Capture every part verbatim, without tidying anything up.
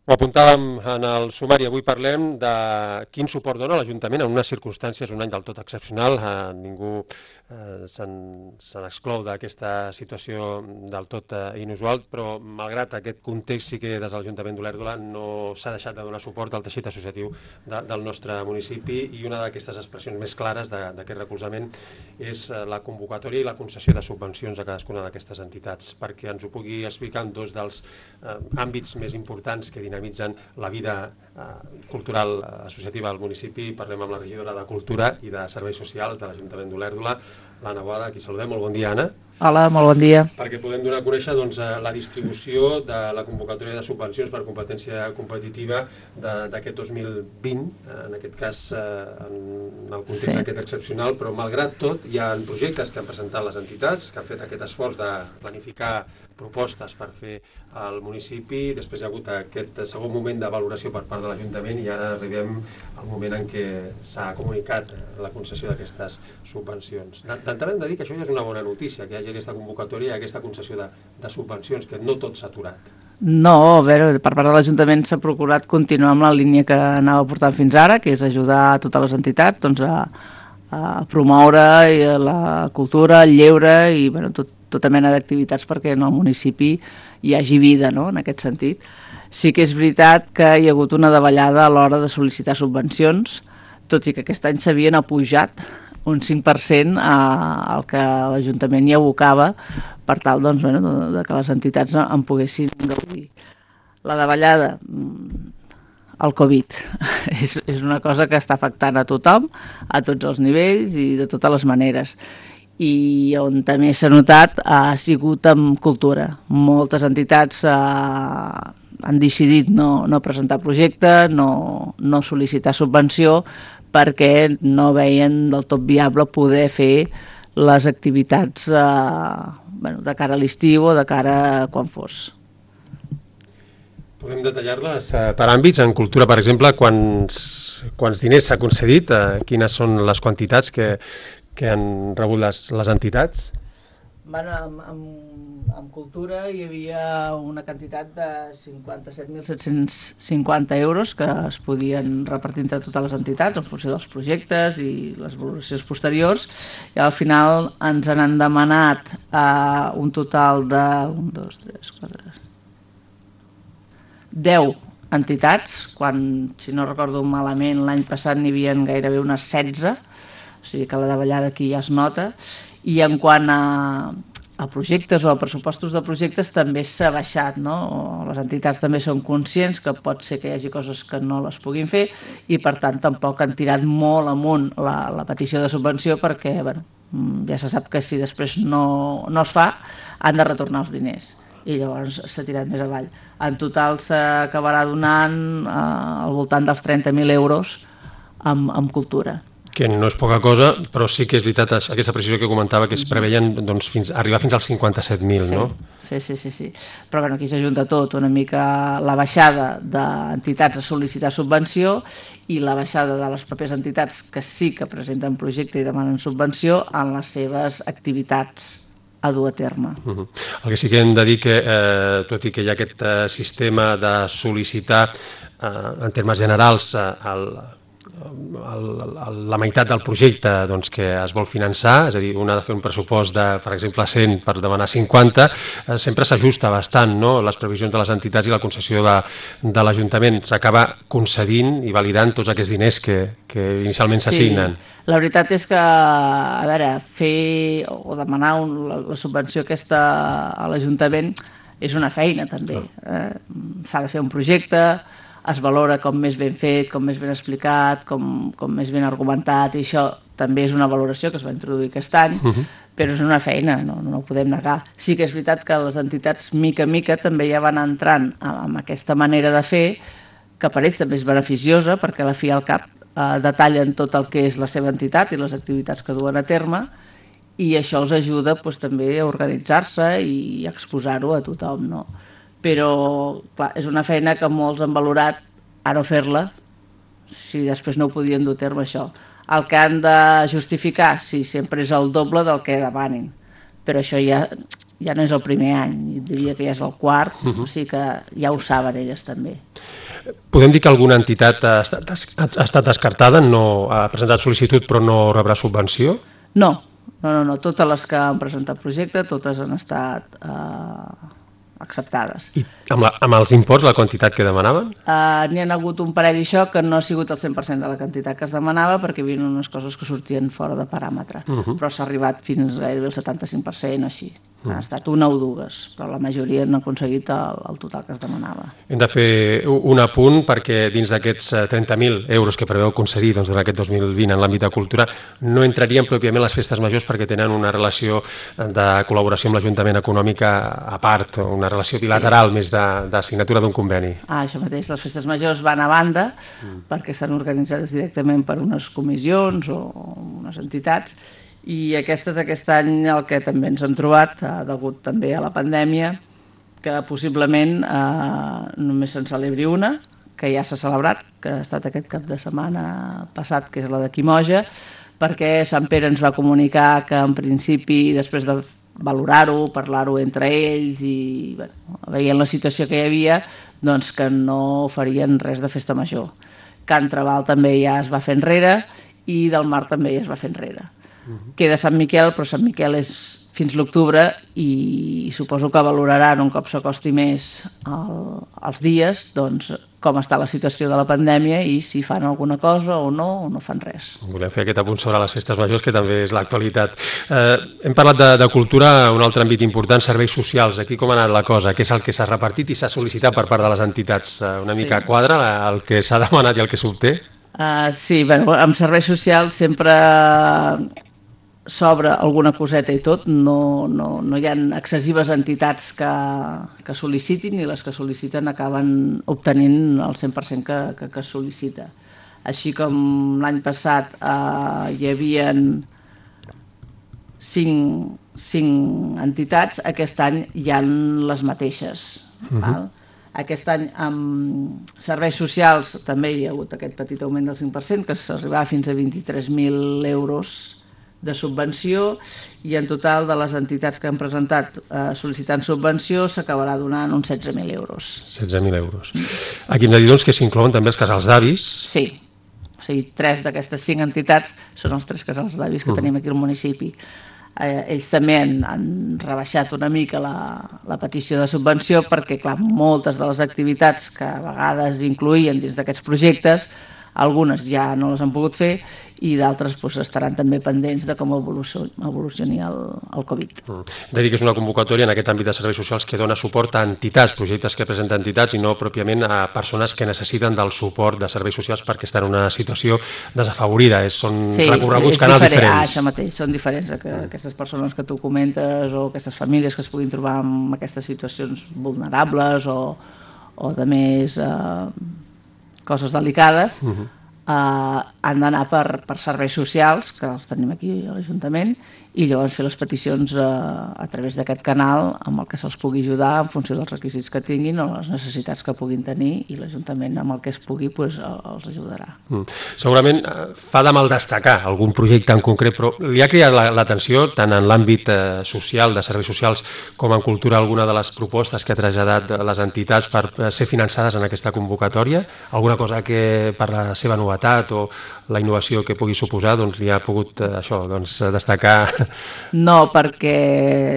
Ho apuntàvem en el sumari, avui parlem de quin suport dona l'Ajuntament en unes circumstàncies, un any del tot excepcional. Eh, ningú eh, se n'exclou d'aquesta situació del tot eh, inusual, però malgrat aquest context sí que des de l'Ajuntament d'Olèrdola no s'ha deixat de donar suport al teixit associatiu de, del nostre municipi, i una d'aquestes expressions més clares d'aquest recolzament és la convocatòria i la concessió de subvencions a cadascuna d'aquestes entitats, perquè ens ho pugui explicar en dos dels eh, àmbits més importants que dinamitzen la vida eh, cultural associativa al municipi. Parlem amb la regidora de Cultura i de Serveis Socials de l'Ajuntament d'Olèrdola, l'Anna Boada, a qui saludem. Molt bon dia, Anna. Hola, molt bon dia. Perquè podem donar a conèixer doncs, la distribució de la convocatòria de subvencions per competència competitiva d'aquest dos mil vint, en aquest cas en el context sí. aquest excepcional, però malgrat tot hi ha projectes que han presentat les entitats, que han fet aquest esforç de planificar propostes per fer al municipi. Després hi ha hagut aquest segon moment de valoració per part de l'Ajuntament i ara arribem al moment en què s'ha comunicat la concessió d'aquestes subvencions. D'entrada hem de dir que això ja és una bona notícia, que hi hagi aquesta convocatòria i aquesta concessió de, de subvencions, que no tot s'ha aturat. No, a veure, per part de l'Ajuntament s'ha procurat continuar amb la línia que anava portant fins ara, que és ajudar a totes les entitats doncs, a, a promoure la cultura, el lleure i bueno, tot, tota mena d'activitats perquè en el municipi hi hagi vida, no?, en aquest sentit. Sí que és veritat que hi ha hagut una davallada a l'hora de sol·licitar subvencions, tot i que aquest any s'havien apujat un cinc per cent al que l'Ajuntament hi abocava per tal doncs, bueno, de que les entitats en poguessin gaudir. La davallada, el Covid, és, és una cosa que està afectant a tothom, a tots els nivells i de totes les maneres. I on també s'ha notat ha sigut amb cultura. Moltes entitats eh, han decidit no, no presentar projecte, no, no sol·licitar subvenció, perquè no veien del tot viable poder fer les activitats eh, bueno, de cara a l'estiu o de cara a quan fos. Podem detallar-les per àmbits. En cultura, per exemple, quants, quants diners s'ha concedit, eh, quines són les quantitats que, que han rebut les, les entitats? Bueno, amb, amb, amb cultura hi havia una quantitat de cinquanta-set mil set-cents cinquanta euros que es podien repartir entre totes les entitats en funció dels projectes i les valoracions posteriors, i al final ens han demanat eh, un total de un, dos, tres, quatre, deu entitats, quan, si no recordo malament, l'any passat n'hi havia gairebé unes setze, o sigui que la davallada aquí ja es nota. I en quant a, a projectes o a pressupostos de projectes també s'ha baixat, no? Les entitats també són conscients que pot ser que hi hagi coses que no les puguin fer i per tant tampoc han tirat molt amunt la, la petició de subvenció perquè bueno, ja se sap que si després no, no es fa han de retornar els diners i llavors s'ha tirat més avall. En total s'acabarà donant eh, al voltant dels trenta mil euros amb, amb cultura. Que no és poca cosa, però sí que és veritat aquesta precisió que comentava, que es preveien doncs, fins, arribar fins als cinquanta-set mil, sí, no? Sí, sí, sí, sí. Però bueno, aquí s'ajunta tot, una mica la baixada d'entitats a sol·licitar subvenció i la baixada de les pròpies entitats que sí que presenten projecte i demanen subvenció en les seves activitats a dur a terme. Uh -huh. El que sí que hem de dir que, eh, tot i que hi ha aquest eh, sistema de sol·licitar eh, en termes generals eh, el El, el, la meitat del projecte doncs, que es vol finançar, és a dir, un ha de fer un pressupost de, per exemple, cent per demanar cinquanta, eh, sempre s'ajusta bastant, no?, les previsions de les entitats i la concessió de, de l'Ajuntament. S'acaba concedint i validant tots aquests diners que, que inicialment s'assignen. Sí. La veritat és que, a veure, fer o demanar un, la, la subvenció aquesta a l'Ajuntament és una feina també. Eh? S'ha de fer un projecte, es valora com més ben fet, com més ben explicat, com, com més ben argumentat, i això també és una valoració que es va introduir aquest any, uh -huh. però és una feina, no, no ho podem negar. Sí que és veritat que les entitats, mica en mica, també ja van entrant amb aquesta manera de fer, que per ells també és beneficiosa, perquè a la fi al cap eh, detallen tot el que és la seva entitat i les activitats que duen a terme, i això els ajuda doncs, també a organitzar-se i a exposar-ho a tothom, no? Però clar, és una feina que molts han valorat a no fer-la si després no ho podien dur a terme això. El que han de justificar, sí, sempre és el doble del que demanin, però això ja ja no és el primer any, diria que ja és el quart, uh -huh. o sigui que ja ho saben elles també. Podem dir que alguna entitat ha estat, ha estat descartada, no ha presentat sol·licitud però no rebrà subvenció? No, no, no, no. Totes les que han presentat projecte, totes han estat eh, acceptades. I amb, la, amb els imports, la quantitat que demanaven? Uh, N'hi ha hagut un parell d'això que no ha sigut el cent per cent de la quantitat que es demanava perquè hi havia unes coses que sortien fora de paràmetre, uh -huh. però s'ha arribat fins gairebé el setanta-cinc per cent així. Uh -huh. Han estat una o dues, però la majoria han aconseguit el, el total que es demanava. Hem de fer un apunt perquè dins d'aquests trenta mil euros que preveu concedir doncs, durant aquest dos mil vint en l'àmbit de cultura no entrarien pròpiament les festes majors perquè tenen una relació de col·laboració amb l'Ajuntament econòmica a part, una relació bilateral, sí. més de, de signatura d'un conveni. Ah, això mateix, les festes majors van a banda mm. perquè estan organitzades directament per unes comissions o unes entitats i aquestes aquest any el que també ens hem trobat, eh, degut també a la pandèmia, que possiblement eh, només se'n celebri una, que ja s'ha celebrat, que ha estat aquest cap de setmana passat, que és la de Quimoja, perquè Sant Pere ens va comunicar que en principi, després de valorar-ho, parlar-ho entre ells i bueno, veient la situació que hi havia, doncs que no farien res de festa major. Can Trabal també ja es va fer enrere i del Mar també ja es va fer enrere. Uh-huh. Queda Sant Miquel, però Sant Miquel és fins l'octubre i suposo que valoraran un cop s'acosti més el, els dies, doncs com està la situació de la pandèmia i si fan alguna cosa o no, o no fan res. Volem fer aquest apunt sobre les festes majors, que també és l'actualitat. Eh, hem parlat de, de cultura, un altre àmbit important, serveis socials. Aquí com ha anat la cosa? Què és el que s'ha repartit i s'ha sol·licitat per part de les entitats? Una mica sí. quadra el que s'ha demanat i el que s'obté? Uh, sí, bueno, amb serveis socials sempre s'obre alguna coseta i tot, no, no, no hi ha excessives entitats que, que sol·licitin i les que sol·liciten acaben obtenint el cent per cent que, que, que sol·licita. Així com l'any passat eh, hi havia cinc, cinc entitats, aquest any hi ha les mateixes. Uh-huh. Val? Aquest any amb serveis socials també hi ha hagut aquest petit augment del cinc per cent, que s'arribava fins a vint-i-tres mil euros de subvenció i en total de les entitats que han presentat eh, sol·licitant subvenció s'acabarà donant uns setze mil euros. setze mil euros. Aquí hem de dir doncs, que s'inclouen també els casals d'avis. Sí, o sigui, tres d'aquestes cinc entitats són els tres casals d'avis que uh. tenim aquí al municipi. Eh, ells també han, han rebaixat una mica la, la petició de subvenció perquè, clar, moltes de les activitats que a vegades incloïen dins d'aquests projectes, algunes ja no les han pogut fer i d'altres doncs, estaran també pendents de com evolucioni el, el Covid. Mm. Hem de dir que és una convocatòria en aquest àmbit de serveis socials que dona suport a entitats, projectes que presenten entitats i no pròpiament a persones que necessiten del suport de serveis socials perquè estan en una situació desafavorida. És, són sí, recorreguts canals diferent. diferents. Ah, això mateix, són diferents. Que aquestes persones que tu comentes o aquestes famílies que es puguin trobar en aquestes situacions vulnerables o, o de més eh, coses delicades, uh-huh. Uh, han d'anar per, per serveis socials, que els tenim aquí a l'Ajuntament, i llavors fer les peticions uh, a través d'aquest canal amb el que se'ls pugui ajudar en funció dels requisits que tinguin o les necessitats que puguin tenir i l'Ajuntament amb el que es pugui pues, els ajudarà. Mm. Segurament uh, fa de mal destacar algun projecte en concret, però li ha cridat l'atenció tant en l'àmbit uh, social, de serveis socials, com en cultura, alguna de les propostes que ha traslladat les entitats per uh, ser finançades en aquesta convocatòria? Alguna cosa que per la seva novetat o la innovació que pugui suposar doncs, li ha pogut uh, això, doncs, destacar? No, perquè,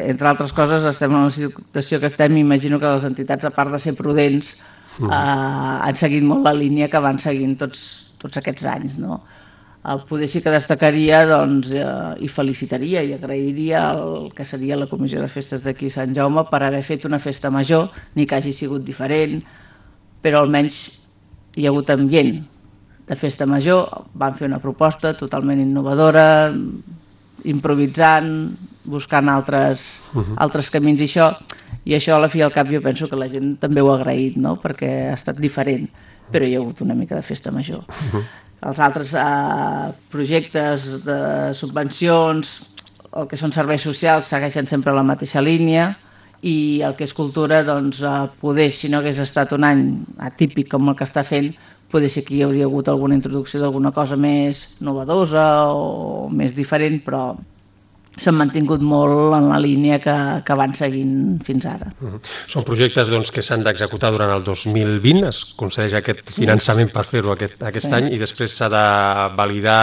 entre altres coses, estem en una situació que estem, imagino que les entitats, a part de ser prudents, uh-huh. eh, han seguit molt la línia que van seguint tots, tots aquests anys, no? Eh, poder sí que destacaria doncs, eh, i felicitaria i agrairia el que seria la Comissió de Festes d'aquí Sant Jaume per haver fet una festa major, ni que hagi sigut diferent, però almenys hi ha hagut ambient de festa major, van fer una proposta totalment innovadora, improvisant, buscant altres, uh-huh. altres camins i això, i això a la fi al cap jo penso que la gent també ho ha agraït, no? Perquè ha estat diferent, però hi ha hagut una mica de festa major. Uh-huh. Els altres eh, projectes de subvencions, el que són serveis socials, segueixen sempre la mateixa línia, i el que és cultura, doncs, eh, poder, si no hagués estat un any atípic com el que està sent, poder ser que hi hauria hagut alguna introducció d'alguna cosa més novedosa o més diferent, però s'han mantingut molt en la línia que, que van seguint fins ara. Uh-huh. Són projectes doncs, que s'han d'executar durant el dos mil vint, es concedeix aquest finançament per fer-ho aquest, aquest sí. any i després s'ha de validar,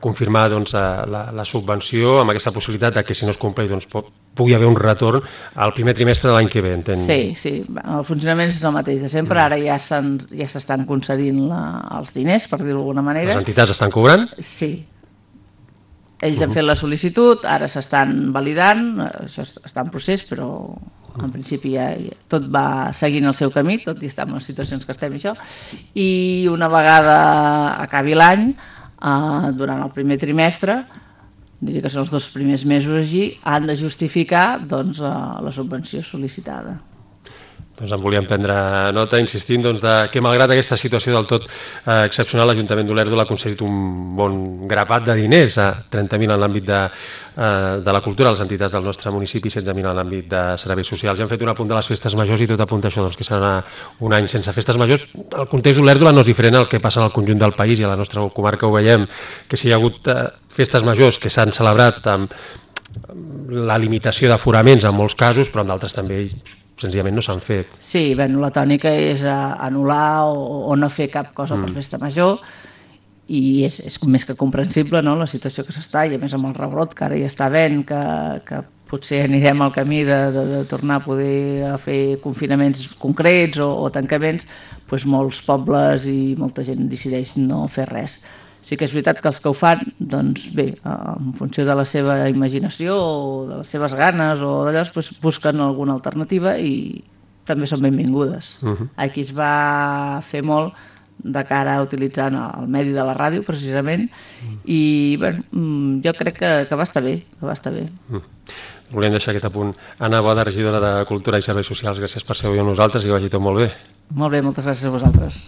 confirmar doncs, la, la subvenció amb aquesta possibilitat de que si no es compleix doncs, pugui haver un retorn al primer trimestre de l'any que ve, entenc. Sí, sí, el funcionament és el mateix de sempre, ara ja s'estan ja concedint la, els diners, per dir-ho d'alguna manera. Les entitats estan cobrant? Sí. Ells han fet la sol·licitud, ara s'estan validant, això està en procés, però en principi ja, ja tot va seguint el seu camí, tot i estar en les situacions que estem i això, i una vegada acabi l'any, eh, durant el primer trimestre, diria que són els dos primers mesos així, han de justificar doncs, la subvenció sol·licitada. Doncs en volíem prendre nota, insistint doncs, de que malgrat aquesta situació del tot eh, excepcional, l'Ajuntament d'Olèrdola ha concedit un bon grapat de diners, a trenta mil en l'àmbit de, eh, de la cultura, les entitats del nostre municipi, setze mil en l'àmbit de serveis socials. Ja hem fet un apunt de les festes majors i tot apunta això, doncs, que serà un any sense festes majors. El context d'Olèrdola no és diferent al que passa en el conjunt del país i a la nostra comarca ho veiem, que si hi ha hagut eh, festes majors que s'han celebrat amb la limitació d'aforaments en molts casos, però en d'altres també senzillament no s'han fet. Sí, bueno, la tònica és anul·lar o, o no fer cap cosa mm. per festa major i és, és més que comprensible, no?, la situació que s'està, i a més amb el rebrot que ara ja està havent, que, que potser anirem al camí de, de, de tornar a poder a fer confinaments concrets o, o tancaments, doncs molts pobles i molta gent decideix no fer res. Sí que és veritat que els que ho fan, doncs bé, en funció de la seva imaginació o de les seves ganes o d'allò, doncs busquen alguna alternativa i també són benvingudes. Uh-huh. Aquí es va fer molt de cara a utilitzar el medi de la ràdio, precisament, uh-huh. i bueno, jo crec que, que va estar bé, que va estar bé. Uh-huh. Volíem deixar aquest apunt. Anna Boada, regidora de Cultura i Serveis Socials, gràcies per ser avui amb nosaltres i que vagi tot molt bé. Molt bé, moltes gràcies a vosaltres.